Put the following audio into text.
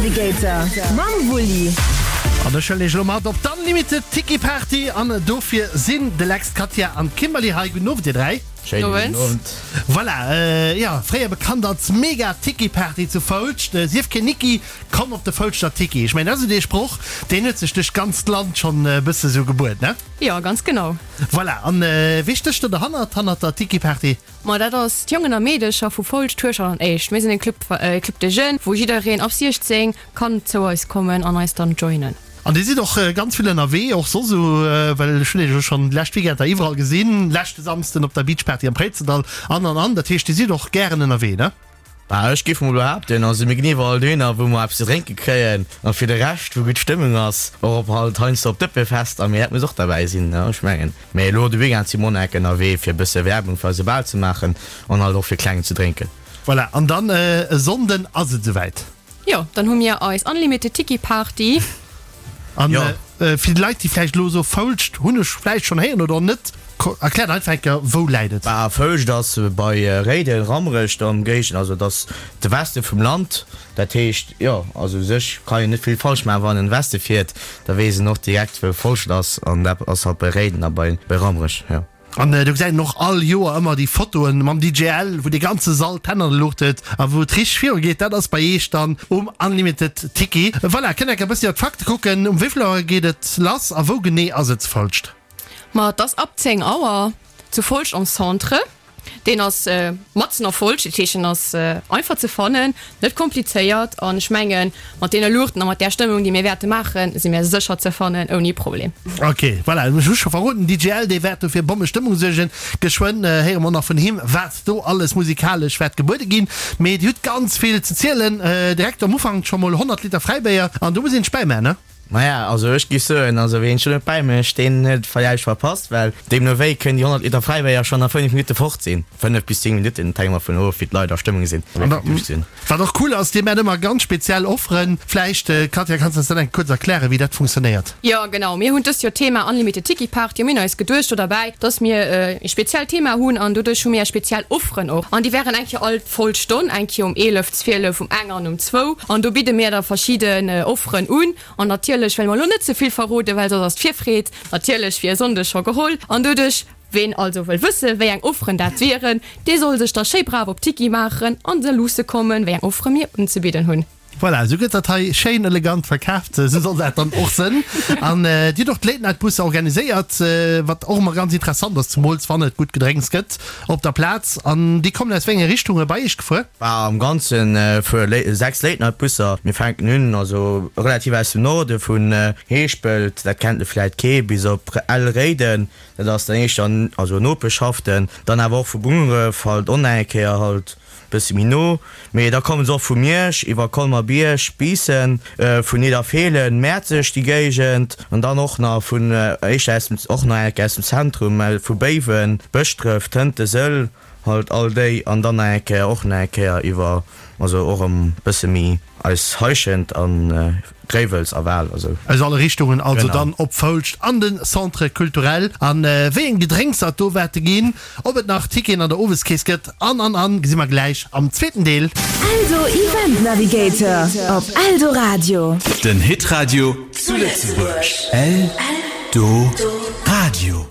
Navigator mam Wulli. An ech huelen iech elo mat op d'Unlimited Tiki Party an dofir sinn de Lex, d'Katja an d'Kimberly hei. Gudden Owend dir 3. Schéinen gudden Owend. Voilà, jo, fréier bekannt als Mega Tiki Party zu Foulscht. Sief keen Niki, komm op de Foulschter Tiki. Ech mengen dat ass esou dee Sproch, deen huet sech duerch d'ganzt Land schonn e bësse sou gebuet, ne? Jo, ganz genau. Voilà, an wee stécht do derhannert, hannert der Tiki Party? Ma dat ass d'Jongen a Meedecher vu Foulscht, Hueschert an Éischt. Mir sinn e Club, e Club des Jeunes, wou jiddereen ab 16 kann zou eis kommen an eis dann joinen. An dir sidd och ganz vill ënnerwee, och soss esou, well ech hunn iech elo schonn déi lescht Weekender iwwerall gesinn, leschte Samsden op der Beachparty am Préizendall an an an. Dat heescht, dir sidd och gären ënnerwee, ne? Bah, ech géif mol behaapten, also mir ginn iwwerall dohinner, wou mer eppes ze drénke kréien a fir de Rescht, wou gutt Stëmmung ass, och op halt heiansdo op Dëppefester, mee dat muss och derbäi sinn, ne, ech mengen. Mee elo de Weekend si mer och nach enk ënnerwee, fir e bësse Werbung fir eise Bal ze maachen an halt och fir kleng ze drénken. Voilà, an dann e Sonnden ass et esouwäit. Jo, dann hu mir eis Unlimited Tiki Party. An fir déi Leit, déi vläicht elo soe Foulscht hunn ech vläicht schonn héieren oder och net, erkläert einfach eng Kéier, wou läit et? Bah, Foulscht ass bei Réiden, Rammerech do am Géigend, also et ass de Weste vum Land. Dat heescht, jo, also u sech kann een net vill falsch maachen, wann een an de Weste fiert, da weess een och direkt wou Foulscht ass an dat ass halt bei Réiden a bei Rammerech, jo. An do gesäit een och all Joer ëmmer déi Fotoen mam DJ L, wou dee ganze Sall d'Hänn an de Luucht huet a wou et richteg viru geet. Dat ass bei Eech dann um Unlimited Tiki. Voilà, kënnt enker e bëssi op d'Fakte kucken. Um wéi vill Auer geet et lass a wou genee ass et zu Folscht? Ma et ass ab 10 Auer zu Folscht am Centre. Deen ass matzen a Folscht, dat heescht en ass einfach ze fannen, net komplizéiert an ech mengen mat deene Luuchten a mat där Stëmmung déi mir wäerte maachen, si mir sécher ze fannen ouni Problem. Ok, voilà, ech hu scho verroden, den DJ L, dee wäert do fir Bommestëmmung suergen. Geschwënn héiere mer och nach vun him, wat do alles musikalesch wäert gebuede ginn. Mee Dir hutt ganz vill ze zielen. Direkt am Ufank scho mol 100 Liter Fräibéier an do muss een sech bäimaen, ne? Maja, also ech giff soen, also ween schon net bäi mecht, deen huet villäicht verpasst, well deemno wéi kënnen déi 100 Liter Fräibéier schon a 5 Minutte fort sinn. 5 bis 10 Minutten, et hänkt emmer vun of wéi d'Leit a Stëmmung sinn an wéi duerch sinn. Wat och cool ass, dir maacht ëmmer ganz speziell Offeren. Vläicht, Katja, kanns de eis dat eng kuerz erklären, wéi dat funktionéiert? Jo, genau. Mir hunn dëst Joer d'Thema Unlimited Tiki Party a mir hunn eis geduecht do derbäi, dass mir e speziellt Thema hunn an doduerch hu mir speziell Offeren och an déi wären eng Kéier all voll Stonn, eng Kéier um 11, 12, um eng an um zwou an do bidde mir da verschidden Offeren un an natierlech wëlle mer elo net ze vill verroden, well soss ass d'Virfreed natierlech fir e Sonndeg scho geholl an doduerch Ween also wëll wësse wéi eng Offeren dat wieren, dee soll sech da schéi brav op d'Tiki maachen an se luusse kommen, wéi eng Offere mir unzebidden hunn. Voilà, esou gëtt dat hei schéin elegant verkaaft. Esou soll dat dann och sënn. An Dir hutt och d'Late Night Busser organiséiert, wat och ëmmer ganz interessant ass, zemools wann et gutt Gedrénks gëtt op der Plaz. An déi kommen aus wéi enge Richtunge bei Iech gefuer? Bah, am Ganze fuere 6 Late Night Busser. Mir fänken un, also relativ aus dem Norde vun Heeschpelt, dat kennt vläit kee, bis op Ell-Réiden, dat ass dann éischter, also Nopeschaften. Dann awer och vu Bungeref halt och nach eng Kéier halt Bëssi méi no, mee da kommen se och vu Miersch iwwer Colmer-Bierg, Biissen, vun Nidderfeelen, Mäerzeg, déi Géigend, an dann och nach vun éischter aus dem, och nach eng Kéier aus dem Zentrum, vu Béiwen, Bëschdref, Tënte, Sëll, halt all déi, an dann nach eng Kéier, och nach eng Kéier iwwer, also och erëm bësse méi eis Heischent an Gréiwels a Wal, also. Aus alle Richtungen also dann op Foulscht an de Centre Culturel. An wéi eng Gedrénkser et do wäerte ginn, ob et nach Ticketen an der Oweskeess gëtt an an an gesi mer gläich am zweeten Deel. Eldo Event Navigator op Eldoradio. Den Hitradio zu Lëtzebuerg. Eldoradio.